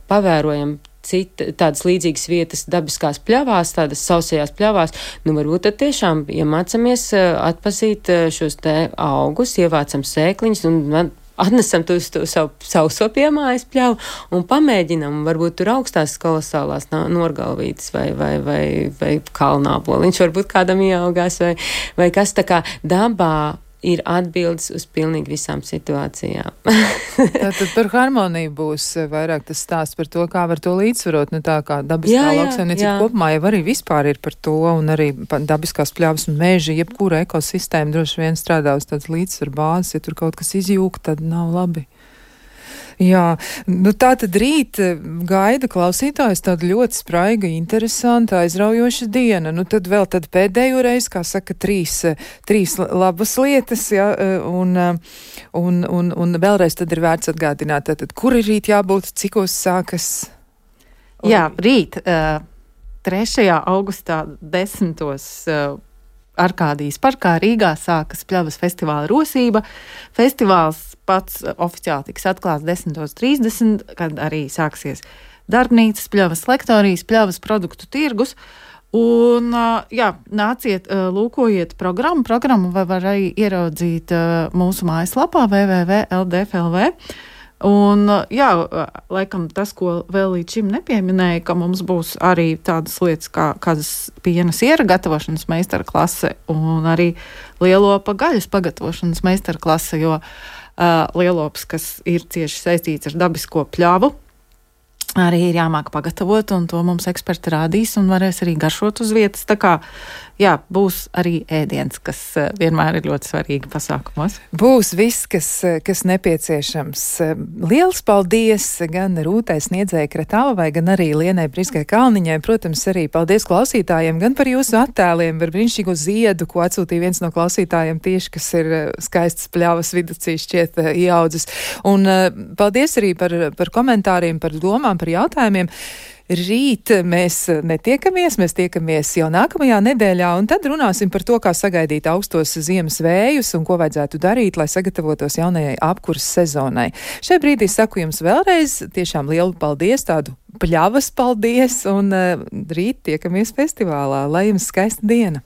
pavērojam tādas līdzīgas vietas dabiskās pļavās, tādas sausajās pļavās, varbūt tad tiešām iemācamies atpazīt šos te augus, ievācam sēkliņus un atnesam to savu sauso piemājas pļavu un pamēģinam, varbūt tur augstās kolosālās norgalvītes vai kalnāboliņš varbūt kādam ieaugās vai kas tā kā dabā ir atbildes uz pilnīgi visām situācijām. Tātad par harmoniju būs vairāk tas stāsts par to, kā var to līdzsvarot, tā kā dabiskā lauksaimniecība kopumā jau arī vispār ir par to, un arī dabiskās pļavas un meži, jebkura ekosistēma droši vien strādā uz tādas līdzsvaru bāzes, ja tur kaut kas izjūg, tad nav labi. Jā, tā tad rīt gaida klausītājs tāda ļoti spraiga, interesanta, aizraujoša diena. Tad vēl pēdējo reizi, kā saka, trīs labas lietas, un vēlreiz tad ir vērts atgādināt, kur ir rīt jābūt, cikos sākas? Jā, rīt 3. augustā 10. Arkādijas parkā Rīgā sākas pļavas festivāla rosība. Festivāls pats oficiāli tiks atklāts 10:30, kad arī sāksies darbnīcas, pļavas lektorijas, pļavas produktu tirgus. Un, nāciet, lūkojiet programmu. Programmu var arī ieraudzīt mūsu mājaslapā www.ldf.lv. Un, laikam tas, ko vēl līdz šim nepieminēja, ka mums būs arī tādas lietas kā kādas piena siera gatavošanas meistara klase un arī lielopa gaļas pagatavošanas meistara klase, jo lielops, kas ir cieši saistīts ar dabisko pļavu, arī ir jāmāk pagatavot, un to mums eksperti rādīs un varēs arī garšot uz vietas. Tā kā, būs arī ēdiens, kas vienmēr ir ļoti svarīgi pasākumos. Būs viss, kas nepieciešams. Liels paldies gan Rūtai Sniedzēji Kratāvai, gan arī Lienai Briskai Kalniņai. Protams, arī paldies klausītājiem gan par jūsu attēliem, par brīnišķīgo ziedu, ko atsūtīja viens no klausītājiem tieši, kas ir skaists pļavas viducī šķiet ieaudzis. Un paldies arī par komentāriem, par domām, par jautājumiem. Rīt mēs netiekamies, mēs tiekamies jau nākamajā nedēļā, un tad runāsim par to, kā sagaidīt augstos ziemas vējus un ko vajadzētu darīt, lai sagatavotos jaunajai apkuras sezonai. Šai brīdī saku jums vēlreiz tiešām lielu paldies, tādu pļavas paldies, un rīt tiekamies festivālā. Lai jums skaista diena!